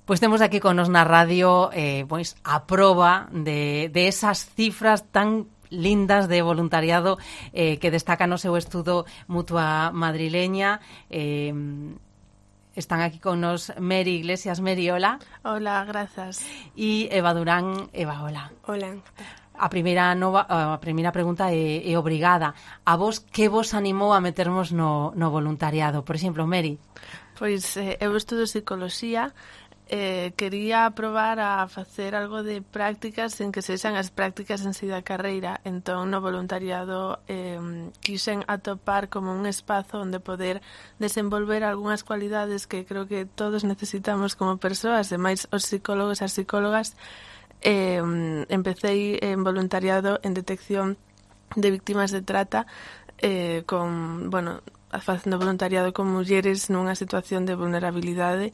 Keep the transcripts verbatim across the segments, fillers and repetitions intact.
Pois temos aquí con nos na radio eh, pois, a proba de, de esas cifras tan lindas de voluntariado eh, que destaca no seu estudo Mutua Madrileña. Eh, están aquí con nos Meri Iglesias. Meri, hola. Hola, grazas. E Eva Durán. Eva, hola. Hola. A primeira nova, a primeira pregunta é, é obrigada. A vos, que vos animou a metermos no, no voluntariado? Por exemplo, Meri. Pois eh, eu estudo psicoloxía. Eh, quería probar a facer algo de prácticas en que sexan as prácticas en si da carreira. Entón, no voluntariado eh, quixen atopar como un espazo onde poder desenvolver algunhas cualidades que creo que todos necesitamos como persoas, e máis os psicólogos e as psicólogas. Eh, empecé en voluntariado en detección de víctimas de trata eh, con, bueno, facendo voluntariado con mulleres nunha situación de vulnerabilidade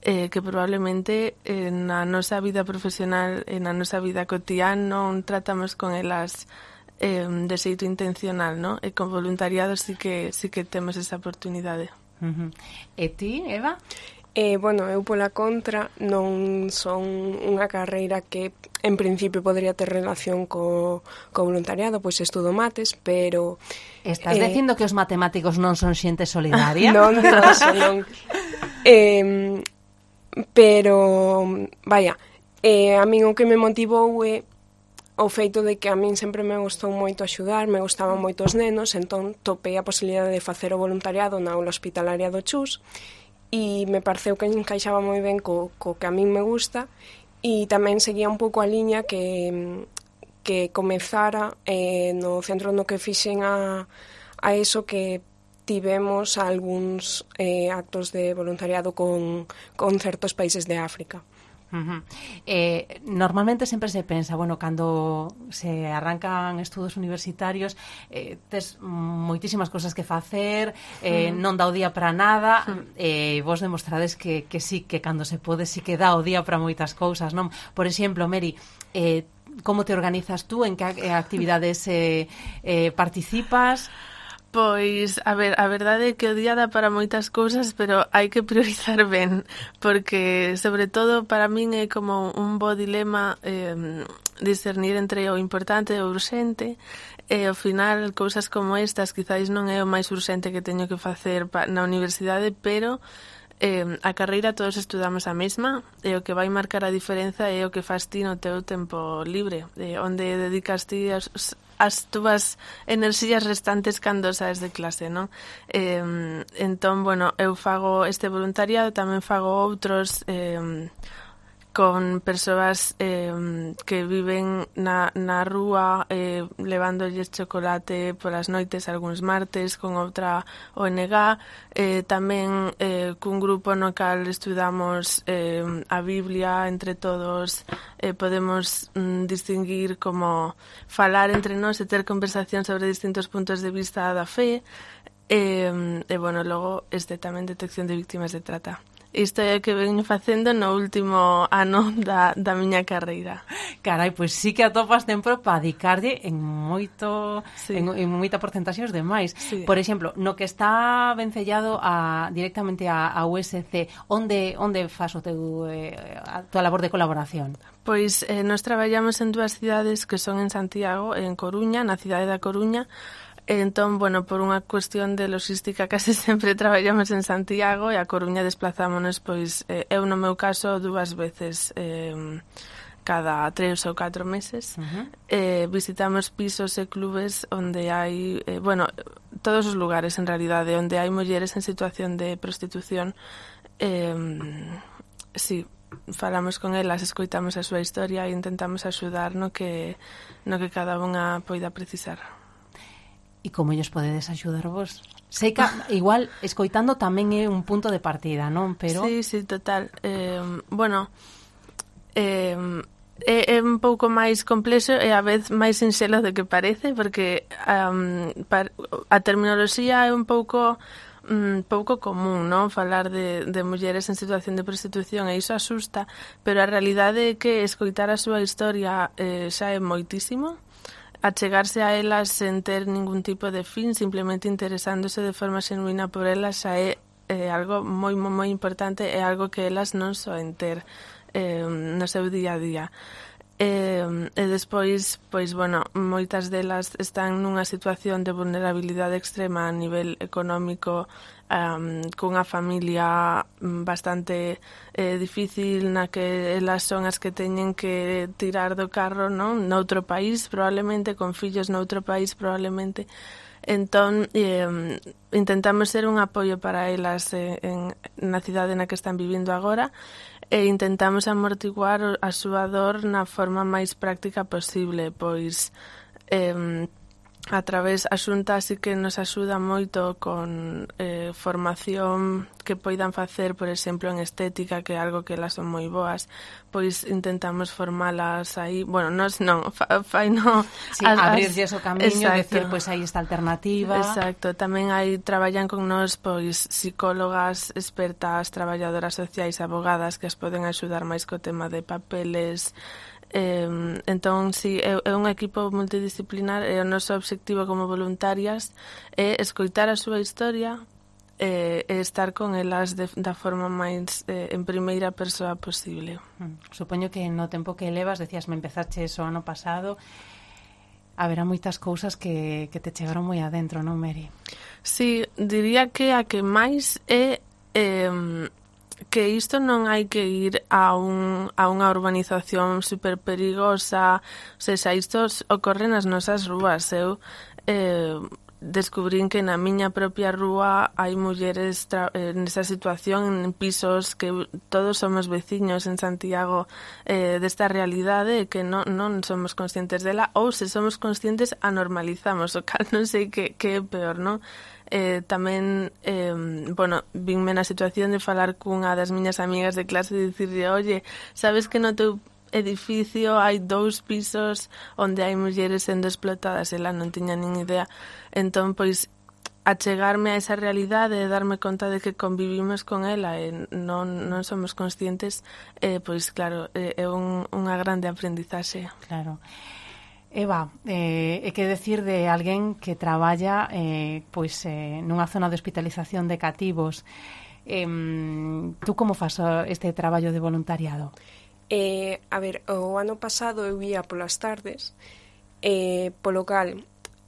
eh, que probablemente eh, na nosa vida profesional e na nosa vida cotidiana non tratamos con elas eh, de xeito intencional, ¿no? E con voluntariado sí que, sí que temos esa oportunidade. Uh-huh. E ti, Eva? Eh, bueno, eu pola contra non son unha carreira que en principio podría ter relación co, co voluntariado, pois estudo mates, pero... Estás eh, dicindo que os matemáticos non son xente solidaria? Non digo eso, non. Eh, pero, vaya, eh, a min o que me motivou é o feito de que a min sempre me gustou moito axudar, me gustaban moito os nenos, entón topei a posibilidade de facer o voluntariado na aula hospitalaria do Chus, e me pareceu que encaixaba moi ben co, co que a min me gusta, e tamén seguía un pouco a liña que, que comezara eh, no centro no que fixen a, a eso que tivemos algúns eh, actos de voluntariado con, con certos países de África. Uh-huh. Eh, normalmente sempre se pensa, bueno, cando se arrancan estudos universitarios eh, tes moitísimas cosas que facer, eh, uh-huh. non dá o día para nada, uh-huh. eh, vos demostrades que, que sí, que cando se pode sí que dá o día para moitas cousas, non? Por exemplo, Meri, eh, como te organizas tú, en que actividades eh, eh, participas? Pois, a ver, a verdade é que o día dá para moitas cousas, pero hai que priorizar ben, porque, sobre todo, para min é como un bo dilema eh, discernir entre o importante e o urxente, e, ao final, cousas como estas, quizáis non é o máis urxente que teño que facer na universidade, pero eh, a carreira todos estudamos a mesma, e o que vai marcar a diferenza é o que fas ti no teu tempo libre, eh, onde dedicas ti as... as túas enerxías restantes cando saes de clase, non? Eh, entón, bueno, eu fago este voluntariado, tamén fago outros eh, con persoas eh, que viven na, na rúa eh, levándolles chocolate polas noites algúns martes con outra O N G, eh, tamén eh, cun grupo no cal estudamos eh, a Biblia entre todos, eh, podemos mm, distinguir como falar entre nós e ter conversación sobre distintos puntos de vista da fe, e, e bueno, logo este tamén detección de víctimas de trata. Isto é o que veño facendo no último ano da, da miña carreira. Carai, pois sí que atopas tempo para dedicarlle en moito, sí. en, en moita porcentaxe os demais. Sí. Por exemplo, no que está vencellado a, directamente a, a U S C, onde onde fas o teu, eh, a tua labor de colaboración? Pois eh, nós traballamos en dúas cidades que son en Santiago e en Coruña, na cidade da Coruña. Entón, bueno, por unha cuestión de logística case sempre traballamos en Santiago e a Coruña desplazámonos, pois, eh, eu no meu caso dúas veces eh, cada tres ou catro meses. Uh-huh. eh, visitamos pisos e clubes onde hai, eh, bueno, todos os lugares en realidade, onde hai mulleres en situación de prostitución. Eh, sí, falamos con elas, escoitamos a súa historia e intentamos axudar no que, no que cada unha poida precisar. E como ellos podedes axudar vos? Sei que igual escoitando tamén é un punto de partida, non? Pero sí, sí, total. Eh, bueno, eh, é, é un pouco máis complexo e a vez máis sinxelo de que parece, porque um, a terminoloxía é un pouco um, pouco común, non? Falar de, de mulleres en situación de prostitución, e iso asusta, pero a realidade é que escoitar a súa historia eh, xa é moitísimo. Achegarse a elas sen ter ningún tipo de fin, simplemente interesándose de forma xenuína por elas, xa é é algo moi, moi, moi importante, é algo que elas non soen ter eh, no seu día a día. E, e despois, pois, bueno, moitas delas están nunha situación de vulnerabilidade extrema a nivel económico, um, cunha familia bastante eh, difícil na que elas son as que teñen que tirar do carro, non? Noutro país, probablemente, con fillos noutro país, probablemente. Entón, eh, intentamos ser un apoio para elas eh, en, na cidade na que están vivindo agora, e intentamos amortiguar a súa dor na forma máis práctica posible, pois eh, a través a Xunta así que nos axuda moito con eh, formación que poidan facer, por exemplo, en estética, que é algo que elas son moi boas, pois intentamos formalas aí, bueno, nos non, fa, fai no sí, abrirlles o camiño, decir, pois aí esta alternativa. Exacto, tamén hai traballan con nós pois psicólogas expertas, traballadoras sociais, abogadas que as poden axudar máis co tema de papeles. Eh, entón, si, é, é un equipo multidisciplinar e o noso obxectivo como voluntarias é escoitar a súa historia e, e estar con elas de, da forma máis eh, en primeira persoa posible. Supoño que no tempo que levas, decías, me empezaches o ano pasado, haberá moitas cousas que, que te chegaron moi adentro, non, Mary? Sí, diría que a que máis é... Eh, que isto non hai que ir a, un, a unha urbanización super perigosa, ou seja, isto ocorre nas nosas rúas. Eu eh, descubrín que na miña propia rúa hai mulleres tra- eh, nesa situación en pisos que todos somos veciños en Santiago eh, desta realidade que non, non somos conscientes dela, ou se somos conscientes a normalizamos, o cal non sei que, que é peor, non? Eh, tamén, eh, bueno, vinme na situación de falar cunha das miñas amigas de clase e dicirle, oye, sabes que no teu edificio hai dous pisos onde hai mulleres sendo explotadas, ela non tiña nin idea. Entón, pois, achegarme a esa realidade e darme conta de que convivimos con ela e non, non somos conscientes, eh, pois, claro, é, é un, unha grande aprendizaxe. Claro. Eva, eh, é que decir de alguén que traballa eh, pois eh, nunha zona de hospitalización de cativos. Eh, tú como fas este traballo de voluntariado? Eh, a ver, o ano pasado eu ia polas tardes, eh, polo cal,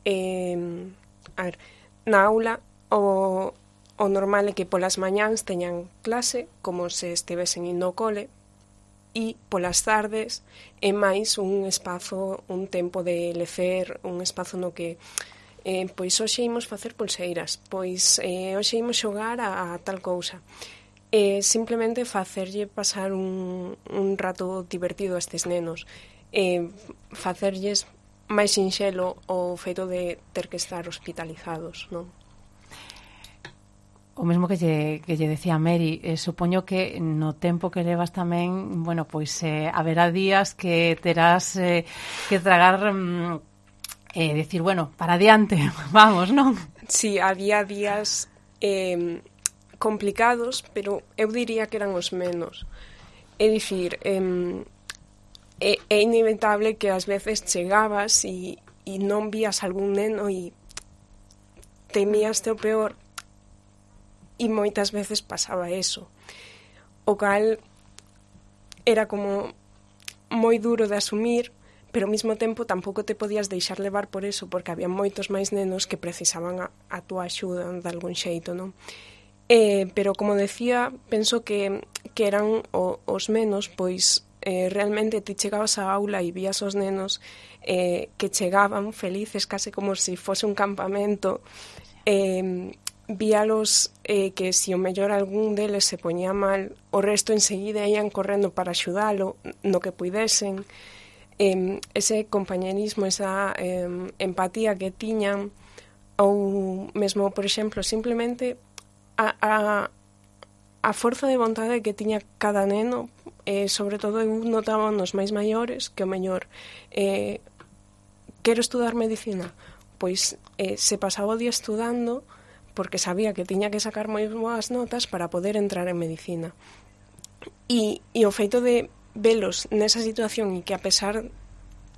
eh, a ver, na aula o, o normal é que polas mañáns teñan clase, como se estivesen indo ao cole, e polas tardes é máis un espazo, un tempo de lecer, un espazo no que eh, pois hoxe imos facer pulseiras, pois eh, hoxe imos xogar a, a tal cousa. Eh, simplemente facerlle pasar un, un rato divertido a estes nenos, eh, facerlles máis sinxelo o feito de ter que estar hospitalizados, non? O mesmo que lle, que lle decía Mary, eh, supoño que no tempo que levas tamén, bueno, pois eh, haberá días que terás eh, que tragar, mm, eh, decir, bueno, para adiante, vamos, non? Sí, había días eh, complicados, pero eu diría que eran os menos. É dicir, eh, é, é inevitable que ás veces chegabas e, e non vías algún neno e temías o peor, e moitas veces pasaba eso, o cal era como moi duro de asumir, pero ao mesmo tempo tampouco te podías deixar levar por eso, porque había moitos máis nenos que precisaban a, a túa axuda de algún xeito, non? Eh, pero como decía, penso que, que eran o, os menos, pois eh, realmente ti chegabas á aula e vías os nenos eh, que chegaban felices, case como se si fose un campamento, eh, víalos eh, que se si o mellor algún deles se poñía mal, o resto enseguida ian correndo para axudalo no que puidesen. Eh, ese compañerismo, esa eh, empatía que tiñan, ou mesmo, por exemplo, simplemente a, a, a forza de vontade que tiña cada neno, eh, sobre todo eu notaba nos máis maiores que o mellor eh, quero estudar medicina, pois eh, se pasaba o día estudando porque sabía que tiña que sacar moi boas notas para poder entrar en medicina. E, e o feito de velos nesa situación e que a pesar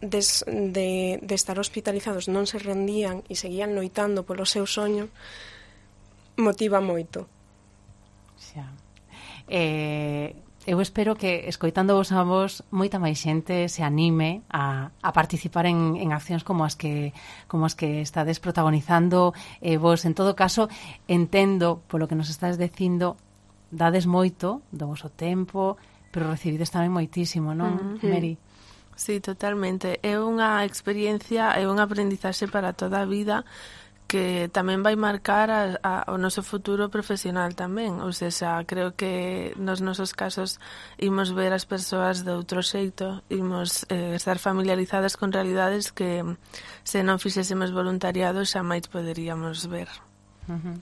de, de, de estar hospitalizados non se rendían e seguían loitando polo seu soño, motiva moito. Xa. Eh, eu espero que, escoitando vos a vos, moita máis xente se anime a, a participar en, en accións como as que como as que estades protagonizando. Eh, vos, en todo caso, entendo, polo que nos estás dicindo, dades moito do voso tempo, pero recibides tamén moitísimo, non, Uh-huh. Mary? Sí, totalmente. É unha experiencia, é un aprendizaxe para toda a vida que tamén vai marcar a, a, o noso futuro profesional tamén. Ou seja, creo que nos nosos casos imos ver as persoas de outro xeito, imos eh, estar familiarizadas con realidades que se non fixésemos voluntariado xa máis poderíamos ver. Uh-huh.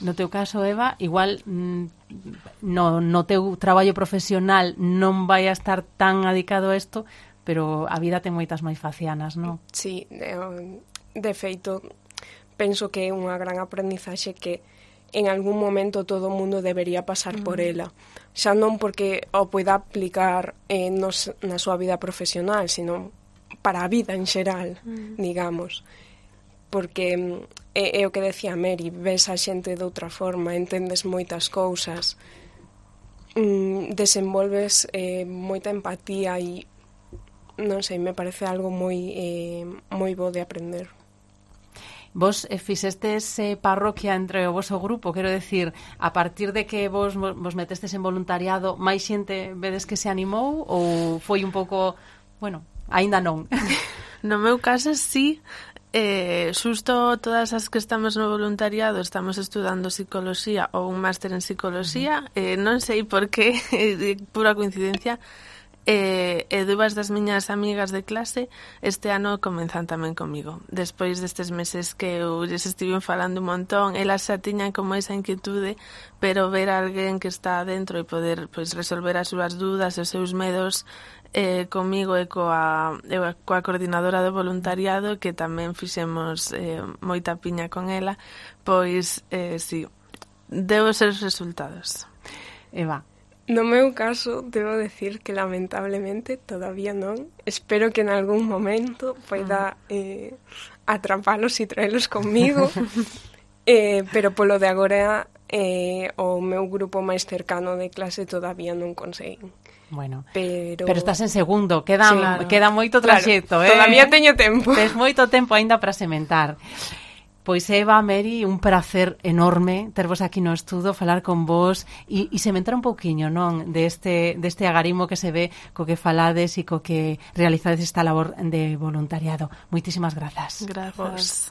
No teu caso, Eva, igual mm, no, no teu traballo profesional non vai a estar tan adicado a isto, pero a vida ten moitas máis facianas, non? Sí, de, de feito, penso que é unha gran aprendizaxe que en algún momento todo o mundo debería pasar mm. por ela. Xa non porque o poida aplicar eh, nos, na súa vida profesional, sino para a vida en xeral, mm. digamos. Porque é, é o que decía Mary, ves a xente de outra forma, entendes moitas cousas, mm, desenvolves eh, moita empatía e non sei, me parece algo moi eh, moi bo de aprender. Vos eh, fixestes eh, parroquia entre o voso grupo, quero decir, a partir de que vos vos metestes en voluntariado, máis xente vedes que se animou ou foi un pouco, bueno, aínda non? No meu caso, sí. Eh, xusto todas as que estamos no voluntariado estamos estudando psicoloxía ou un máster en psicoloxía. Eh, non sei por qué, é pura coincidencia. E, e dúas das miñas amigas de clase este ano comenzan tamén comigo. Despois destes meses que eu lles estiven falando un montón, elas xa tiñan como esa inquietude, pero ver a alguén que está dentro e poder pois, resolver as súas dúdas e os seus medos eh, comigo e coa, e coa coordinadora do voluntariado, que tamén fixemos eh, moita piña con ela, pois eh, sí, deu os seus resultados. Eva. No meu caso, debo decir que lamentablemente todavía non. Espero que en algún momento poida eh, atrapalos e traelos conmigo. eh, pero polo de agora, eh, o meu grupo máis cercano de clase todavía non conseguen. Bueno, pero, pero estás en segundo, queda, sí, claro. queda moito traxecto, claro, eh? Todavía teño tempo. Tes moito tempo aínda para sementar. Pois Eva, Mary, un prazer enorme tervos aquí no estudo, falar con vos e, e sementar un pouquiño, non, deste, deste agarimo que se ve co que falades e co que realizades esta labor de voluntariado. Moitísimas grazas. Grazas.